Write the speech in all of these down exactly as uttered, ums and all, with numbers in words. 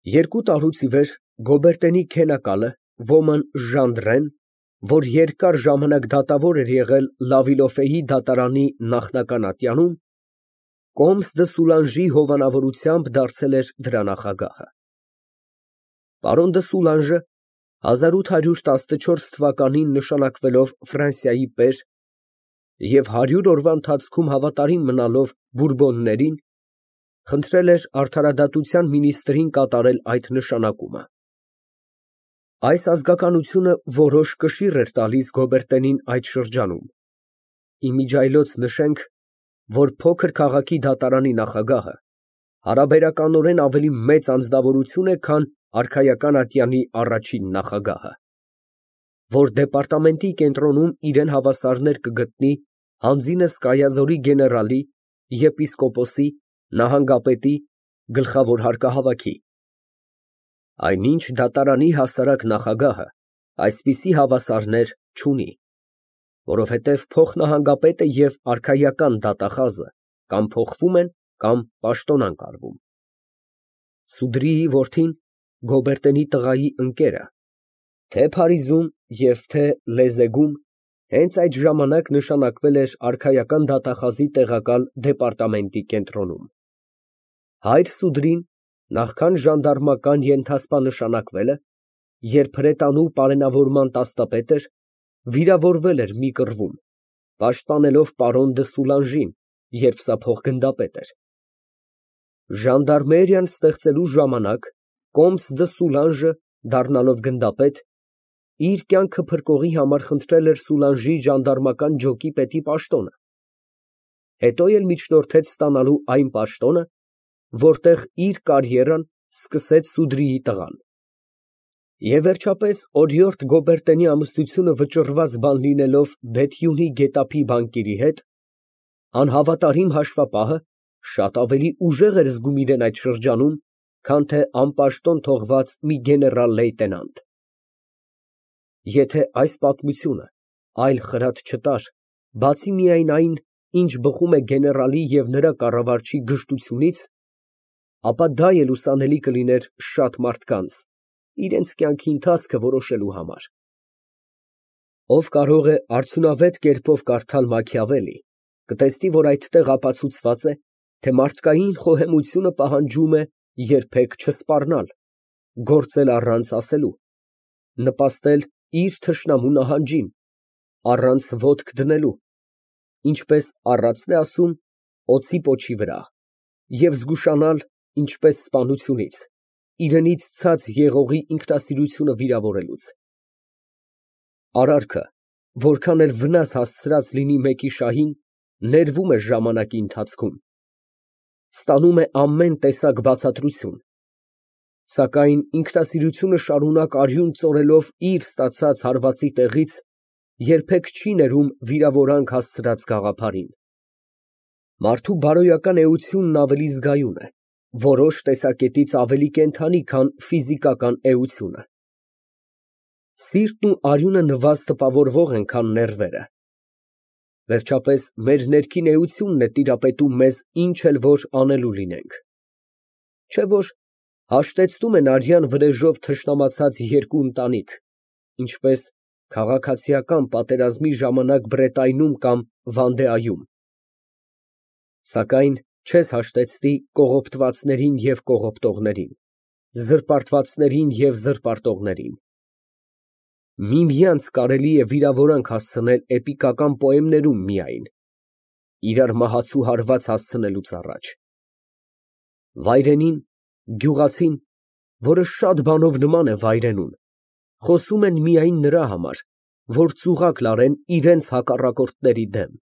Երկու տարուց ի վեր Գոբերտենի քենակալը, ոմն Ժանդրեն, որ երկար ժամանակ դատավոր էր եղել Լավիլոֆեի դատարանի նախնական ատյանում, Կոմս դը Սուլանժի հովանավորությամբ դարձել էր դրա նախագահը։ Պարոն դը Սուլանժը հազար ութ հարյուր տասնչորս թվականին նշանակվելով Ֆրանսիայի պեր և հարյուր օրվա ընթացքում հավատարիմ մնալով Բուրբոններին, խնդրել էր արդարադատության մինիստրին կատարել այդ նշանակումը։ Այս ազգականությունը որոշ կշիռ էր տալիս Գոբերտենին այդ շրջանում, իմիջիայլոց նշենք, որ փոքր քաղաքի դատարանի նախագահը հարաբերականորեն ավելի մեծ անձնավորություն է, քան արքայական ատյանի առաջին նախագահը, որ դեպարտամենտի կենտրոնում իրան հավասարներ կգտնի հանձինս Կայազորի գեներալի, եպիսկոպոսի, նահանգապետի, գլխավոր հարկահավաքի, այնինչ դատարանի հասարակ նախագահը այսպիսի հավասարներ չունի, որովհետև փոխնահանգապետը և արքայական դատախազը կամ փոխվում են, կամ պաշտոնանկ արվում։ Սուդրիի որդին Գոբերտենի տղայի ընկերը թե Փարիզում և թե Լեզեգում հենց այդ ժամանակ նշանակվել էր արքայական դատախազի տեղակալ դեպարտամենտի կենտրոնում։ Հայր Սուդրին նախքան ժանդարմական ենթասպա նշանակվելը, երբ հրետանու պարենավորման տաստապետ էր, վիրավորվել էր մի կռվում, պաշտպանելով պարոն դը Սուլանժին, երբ սա փոխգնդապետ էր։ Ժանդարմերիան ստեղծելու ժամանակ Կոմս դը Սուլանժը, դառնալով գնդապետ, իր կյանքը փրկողի համար խնդրել էր Սուլանժի ժանդարմական ջոկի պետի պաշտոնը, հետո էլ միջնորդեց ստանալու այն պաշտոնը, որտեղ իր կարիերան սկսեց Սուդրիի տղան։ Եվ վերջապես օրիորդ Գոբերտենի ամուսնությունը վճռված բան լինելով Բեթյունի գետափի բանկիրի հետ, անհավատարիմ հաշվապահը շատ ավելի ուժեղ էր զգում իրան այդ շրջանում, քան թե անպաշտոն թողված մի գեներալ լեյտենանտ։ Եթե այս պատմությունը այլ խրատ չտար, բացի միայն այն, ինչ բխում է գեներալի և նրա կառավարչի գժտությունից, ապա դա էլ ուսանելի կլիներ շատ մարդկանց, իրենց կյանքի ընթացքը որոշելու համար։ Ով կարող է արդյունավետ կերպով կարդալ Մաքիավելի, կտեսնի, որ այդտեղ ապացուցված է, թե մարդկային խոհեմությունը պահանջում է երբեք չսպառնալ, գործել առանց ասելու, նպաստել իր թշնամու նահանջին, առանց ոտք դնելու, ինչպես առածն է ասում, օձի պոչի վրա, և զգուշանալ, ինչպես սպանությունից, իրենից ցած եղողի ինքնասիրությունը վիրավորելուց։ Արարքը, որքան էլ վնաս հասցրած լինի մեկի շահին, ներվում է ժամանակի ընթացքում, ստանում է ամեն տեսակ բացատրություն, սակայն ինքնասիրությունը շարունակ արյուն ծորելով իր ստացած հարվածի տեղից, երբեք չի ներում վիրավորանք հասցրած գաղափարին։ Մարդու բարոյական էությունն ավելի զգայուն է, որոշ տեսակետից ավելի կենդանի, քան ֆիզիկական էությունը։ Սիրտն ու արյունը նվազ տպավորվող են, քան ներվերը։ Վերջապես, մեր ներքին էությունն է տիրապետում մեզ ինչ էլ որ անելու լինենք։ Չէ՞ որ հաշտեցնում են արյան վրեժով թշնամացած երկու ընտանիք, ինչպես քաղաքացիական պատերազմի ժամանակ Բրետայնում կամ Վանդեայում, սակայն չես հաշտեցնի կողոպտվածներին և կողոպտողներին, զրպարտվածներին և զրպարտողներին։ Միմյանց կարելի է վիրավորանք հասցնել էպիկական պոեմներում միայն, իրար մահացու հարված հասցնելուց առաջ։ Վայրենին, գյուղացին, որը շատ բանով նման է վայրենուն, խոսում են միայն նրա համար, որ ծուղակ լարեն իրենց հակառակորդների դեմ։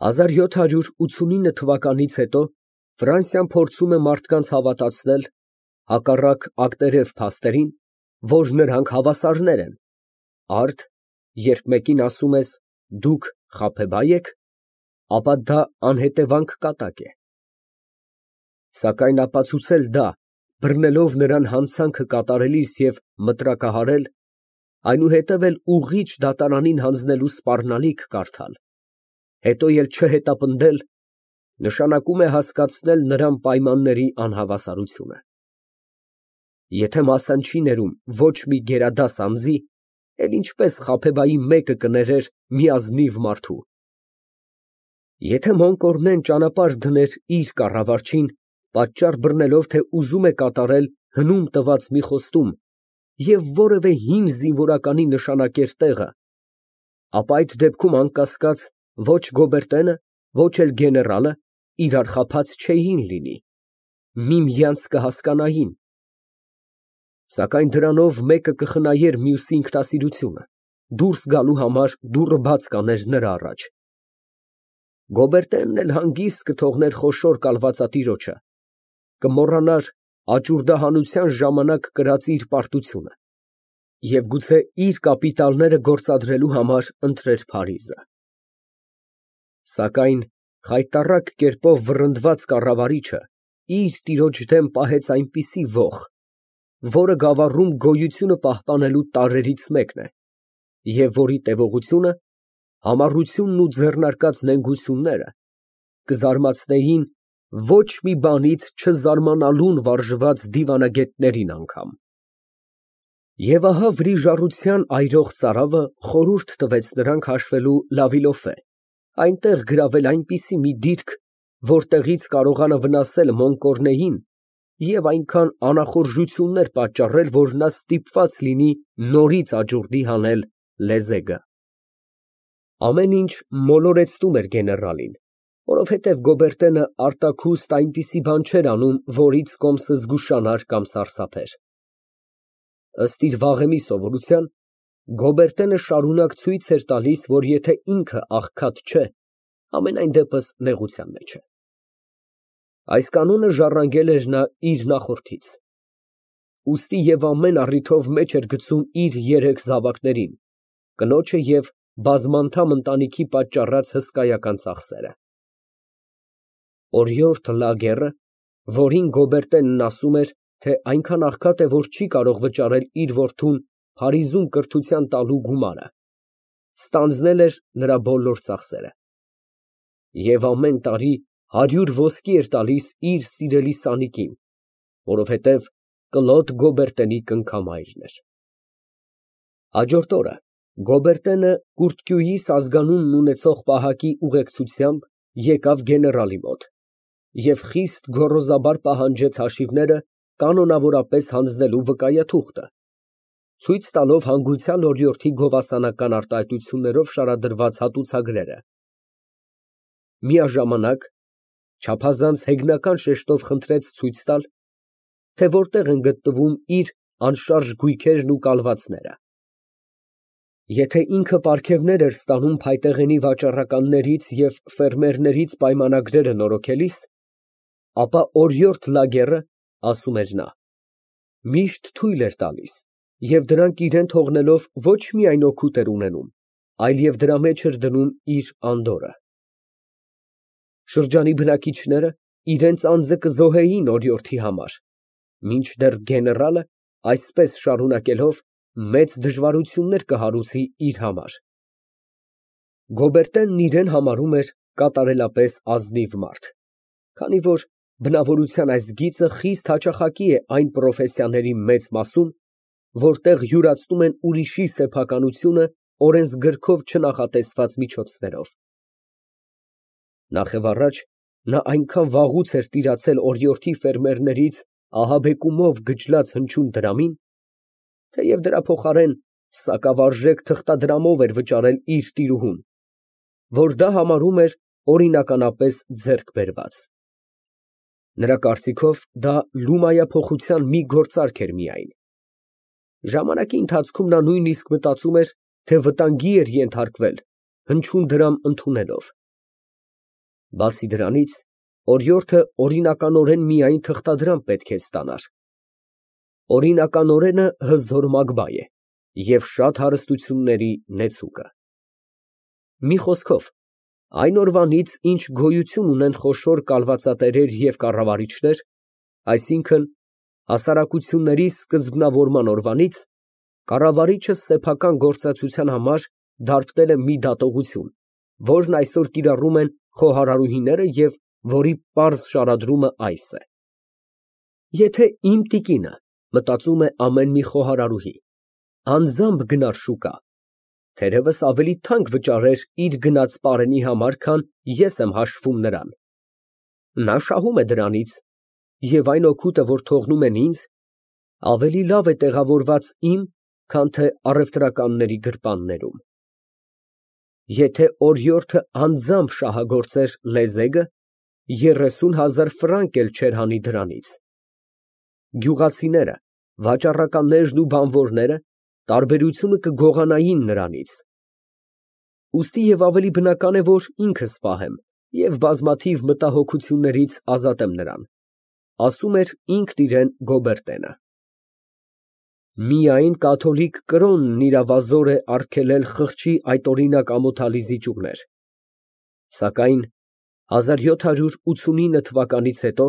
հազար յոթ հարյուր ութսունինը թվականից հետո Ֆրանսիան փորձում է մարդկանց հավատացնել, հակառակ ակտերև փաստերին, որ նրանք հավասարներ են, արդ, երբ մեկին ասում ես դուք խաբեբա եք, ապա դա անհետևանք կատակ է։ Սակայն ապացուցել դա, բռնելով նրան հանցանքը կատարելիս և մտրակահարել, այնուհետև էլ ուղղիչ դատարանին հանձնելու սպառնալիք կարդալ, հետո էլ չհետապնդել, նշանակում է հասկացնել նրան պայմանների անհավասարությունը։ Եթե մասան չի ներում ոչ մի գերադաս անձի, էլ ինչպես Խաբեբայի մեկը կներեր մի ազնիվ մարդու։ Եթե Մոնկորնեն ճանապարհ դներ իր կառավարչին, պատճառ բռնելով, թե ուզում է կատարել հնում տված մի խոստում և որևէ հին զինվորականի նշանակեր տեղը, ապա այդ դեպքում, անկասկած, ոչ Գոբերտենը, ոչ էլ գեներալը իրար խաբած չէին լինի, միմյանց կհասկանային, սակայն դրանով մեկը կխնայեր մյուսի ինքնասիրությունը, դուրս գալու համար դուռը բաց կաներ նրա առաջ։ Գոբերտենն էլ հանգիստ կթողներ խոշոր կալվածատիրոջը, կմոռանար աճուրդահանության ժամանակ կրած իր պարտությունը և գուցե իր կապիտալները գործադրելու համար ընտրեր Փարիզը։ Սակայն խայտառակ կերպով վռնդված կառավարիչը իր տիրոջ դեմ պահեց այնպիսի ոխ, որը գավառում գոյությունը պահպանելու տարրերից մեկն է, և որի տևողությունը, համառությունն ու ձեռնարկած նենգությունները կզարմացնեին ոչ մի բանից չզարմանալուն վարժված դիվանագետներին անգամ։ Եվ ահա վրիժառության այրող ծարավը խորհուրդ տվեց նրան քաշվելու Լա Վիլոֆե, այնտեղ գրավել այնպիսի մի դիրք, որտեղից կարողանա վնասել Մոնկորնեին և այնքան անախորժություններ պատճառել, որ նա ստիպված լինի նորից աճուրդի հանել լեզեգը։ Ամեն ինչ մոլորեցնում էր գեներալին, որովհետև Գոբերտենը արտաքուստ այնպիսի բան չէր անում, որից կոմսը զգուշանար կամ սարսափեր։ Ըստ իր վաղեմի սովորության, Գոբերտենը շարունակ ցույց էր տալիս, որ եթե ինքը աղքատ չէ, համենայն դեպս նեղության մեջ է։ Այս կանոնը ժառանգել էր նա իր նախորդից, ուստի և ամեն առիթով մեջ էր գցում իր երեք զավակներին, կնոջը և բազմանդամ ընտանիքի պատճառած հսկայական ծախսերը։ Օրիորդ Լագերը, որին Գոբերտենն ասում էր, թե այնքան աղքատ է, որ չի կարող վճարել իր որդուն Փարիզում կրթության տալու գումարը, ստանձնել էր նրա բոլոր ծախսերը և ամեն տարի հարյուր ոսկի էր տալիս իր սիրելի սանիկին, որովհետև Կլոդ Գոբերտենի կնքամայրն էր։ Հաջորդ օրը Գոբերտենը Կուրտկյուի ազգանունն ունեցող պահակի ուղեկցությամբ եկավ գեներալի մոտ և խիստ գոռոզաբար պահանջեց հաշիվները կանոնավորապես հանձնելու վկայաթուղթը, ցույց տալով հանգուցյալ օրիորդի գովասանական արտահայտություններով շարադրված հատուցագրերը, միաժամանակ չափազանց հեգնական շեշտով խնդրեց ցույց տալ, թե որտեղ են գտնվում իր անշարժ գույքերն ու կալվածները։ Եթե ինքը պարգևներ էր ստանում փայտեղենի վաճառականներից և ֆերմերներից պայմանագրերը նորոգելիս, ապա օրիորդ Լագերը, ասում էր նա, միշտ թույլ էր տալիս և դրանք իրան թողնելով ոչ միայն օգուտ էր ունենում, այլև դրա մեջ էր դնում իր անդորրը։ Շրջանի բնակիչները իրենց անձը կզոհեին օրիորդի համար, մինչդեռ գեներալը, այսպես շարունակելով, մեծ դժվարություններ կհարուցի իր համար։ Գոբերտենն իրան համարում էր կատարելապես ազնիվ մարդ, քանի որ բնավորության այս գիծը խիստ հաճախակի է այն պրոֆեսիաների մեծ մասում, որտեղ յուրացնում են ուրիշի սեփականությունը օրենսգրքով չնախատեսված միջոցներով։ Նախևառաջ նա այնքան վաղուց էր տիրացել օրիորդի ֆերմերներից ահաբեկումով գճլած հնչյուն դրամին, թեև դրա փոխարեն սակավարժեք թղթադրամով էր վճարել իր տիրուհուն, որ դա համարում էր օրինականապես ձեռք բերված։ Նրա կարծիքով դա լումայափոխության մի գործարք էր միայն։ Ժամանակի ընթացքում նա նույնիսկ մտածում էր, թե վտանգի էր ենթարկվել հնչյուն դրամ ընդունելով։ Բացի դրանից, օրիորդը օրինականորեն միայն թղթադրամ պետք է ստանար։ Օրինականորենը հզոր Մագբա է և շատ հարստությունների նեցուկը։ Մի խոսքով, այն օրվանից, ինչ գոյություն ունեն խոշոր կալվածատերեր և կառավարիչներ, այսինքն՝ հասարակությունների սկզբնավորման օրվանից, կառավարիչը սեփական գործակցության համար դարբնել է մի դատողություն, որն այսօր կիրառում են խոհարարուհիները և որի պարզ շարադրումը այս է. եթե իմ տիկինը մտածում է ամեն մի խոհարարուհի, անձամբ գնար շուկա, թերևս ավելի թանկ վճարեր իր գնած պարենի համար, քան ես եմ հաշվում նրան, նա շահում է դրանից, և այն օգուտը, որ թողնում են ինձ, ավելի լավ է տեղավորված իմ, քան թե առևտրականների գրպաններում։ Եթե օրիորդը անձամբ շահագործեր լեզեգը, երեսուն հազար ֆրանկ էլ չէր հանի դրանից։ Գյուղացիները, վաճառականներն ու բանվորները տարբերությունը կգողանային նրանից։ Ուստի և ավելի բնական է, որ ինքս պահեմ և բազմաթիվ մտահոգություններից ազատեմ նրան, ասում էր ինքն իրան Գոբերտենը։ Միայն կաթոլիկ կրոնն իրավազոր է արգելել խղճի այդ օրինակ ամոթալի զիջումներ, սակայն հազար յոթ հարյուր ութսունինը թվականից հետո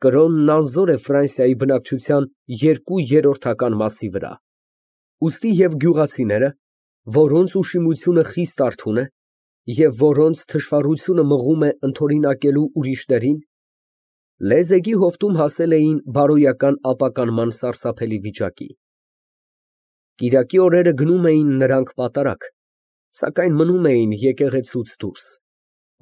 կրոնն անզոր է Ֆրանսիայի բնակչության երկու երրորդական մասի վրա, ուստի և գյուղացիները, որոնց ուշիմությունը խիստ արթուն է և որոնց թշվառությունը մղում է ընդօրինակելու ուրիշներին, լեզեգի հովտում հասել էին բարոյական ապականման սարսափելի վիճակի։ Կիրակի օրերը գնում էին նրանք պատարագ, սակայն մնում էին եկեղեցուց դուրս,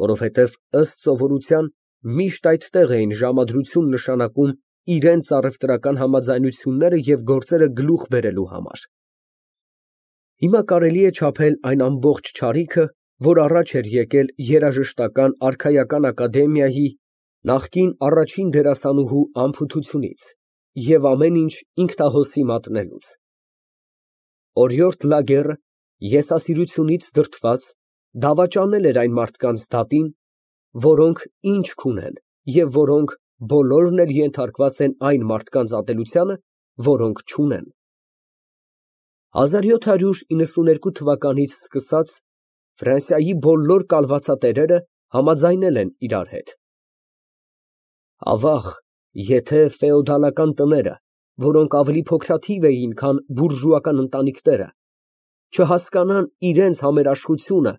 որովհետև ըստ սովորության միշտ այդտեղ էին ժամադրություն նշանակում իրենց առևտրական համաձայնությունները և գործերը գլուխ բերելու համար։ Հիմա կարելի է չափել այն ամբողջ չարիքը, որ առաջ էր եկել երաժշտական արքայական ակադեմիայի նախկին առաջին դերասանուհու անփութությունից և ամեն ինչ ինքնահոսի մատնելուց։ Օրիորդ Լագերը եսասիրությունից դրդված դավաճանել էր այն մարդկանց դատին, որոնք ինչ չունեն և որոնք բոլորն էլ ենթարկված են այն մարդկանց ատելությանը, որոնք չունեն։ հազար յոթ հարյուր իննսուներկու թվականից սկսած Ֆրանսիայի բոլոր կալվածատերերը համաձայնել են իրար հետ։ Ավաղ, եթե ֆեոդալական տները, որոնք ավելի փոքրաթիվ էին, քան բուրժուական ընտանիքները, չհասկանան իրենց համերաշխությունը,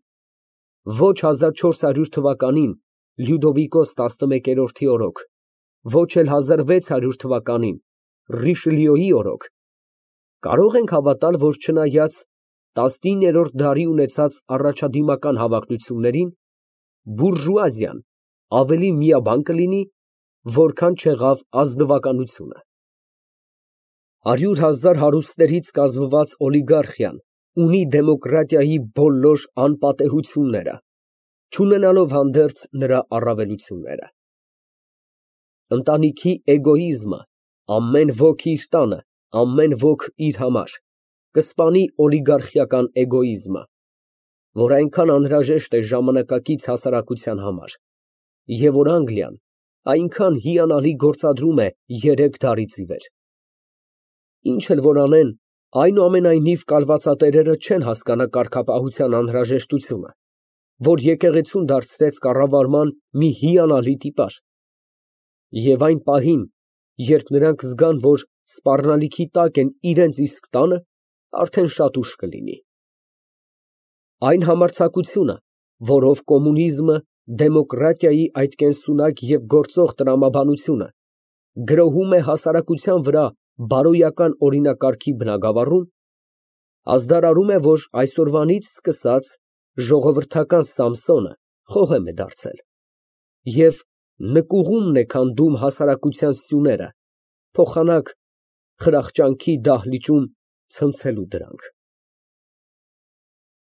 ոչ հազար չորս հարյուր թվականին Լյուդովիկոս տասնմեկերորդի օրոք, ոչ էլ հազար վեց հարյուր թվականին Ռիշելիոյի օրոք, կարո՞ղ ենք հավատալ, որ չնայած տասնիններորդ դարի ունեցած առաջադիմական հավակնություններին, բուրժուազիան ավելի միաբան կլինի, որքան չեղավ ազնվականությունը։ Հարյուր հազար հարուստներից կազմված օլիգարխիան ունի դեմոկրատիայի բոլոր անպատեհությունները, չունենալով հանդերձ նրա առավելությունները։ Ընտանիքի էգոիզմը, ամեն ոք իր տանը, ամեն ոք իր համար, կսպանի օլիգարխիական էգոիզմը, որ այնքան անհրաժեշտ է ժամանակակից հասարակության համար, և որ Անգլիան այնքան հիանալի գործադրում է երեք դարից ի վեր։ Ինչ էլ որ անեն, այնուամենայնիվ կալվածատերերը չեն հասկանա կարգապահության անհրաժեշտությունը, որ եկեղեցուն դարձրեց կառավարման մի հիանալի տիպար, և այն պահին, երբ նրանք զգան, որ սպառնալիքի տակ են իրենց իսկ տանը, արդեն շատ ուշ կլինի։ Այն համարձակությունը, որով կոմունիզմը, դեմոկրատիայի այդ կենսունակ և գործող տրամաբանությունը գրոհում է հասարակության վրա բարոյական օրինակարգի բնագավառում, ազդարարում է, որ այսօրվանից սկսած ժողովրդական Սամսոնը խոհեմ է դարձել և նկուղումն է քանդում հասարակության սյուները, փոխանակ խրախճանքի դահլիճում ցնցելու դրանք։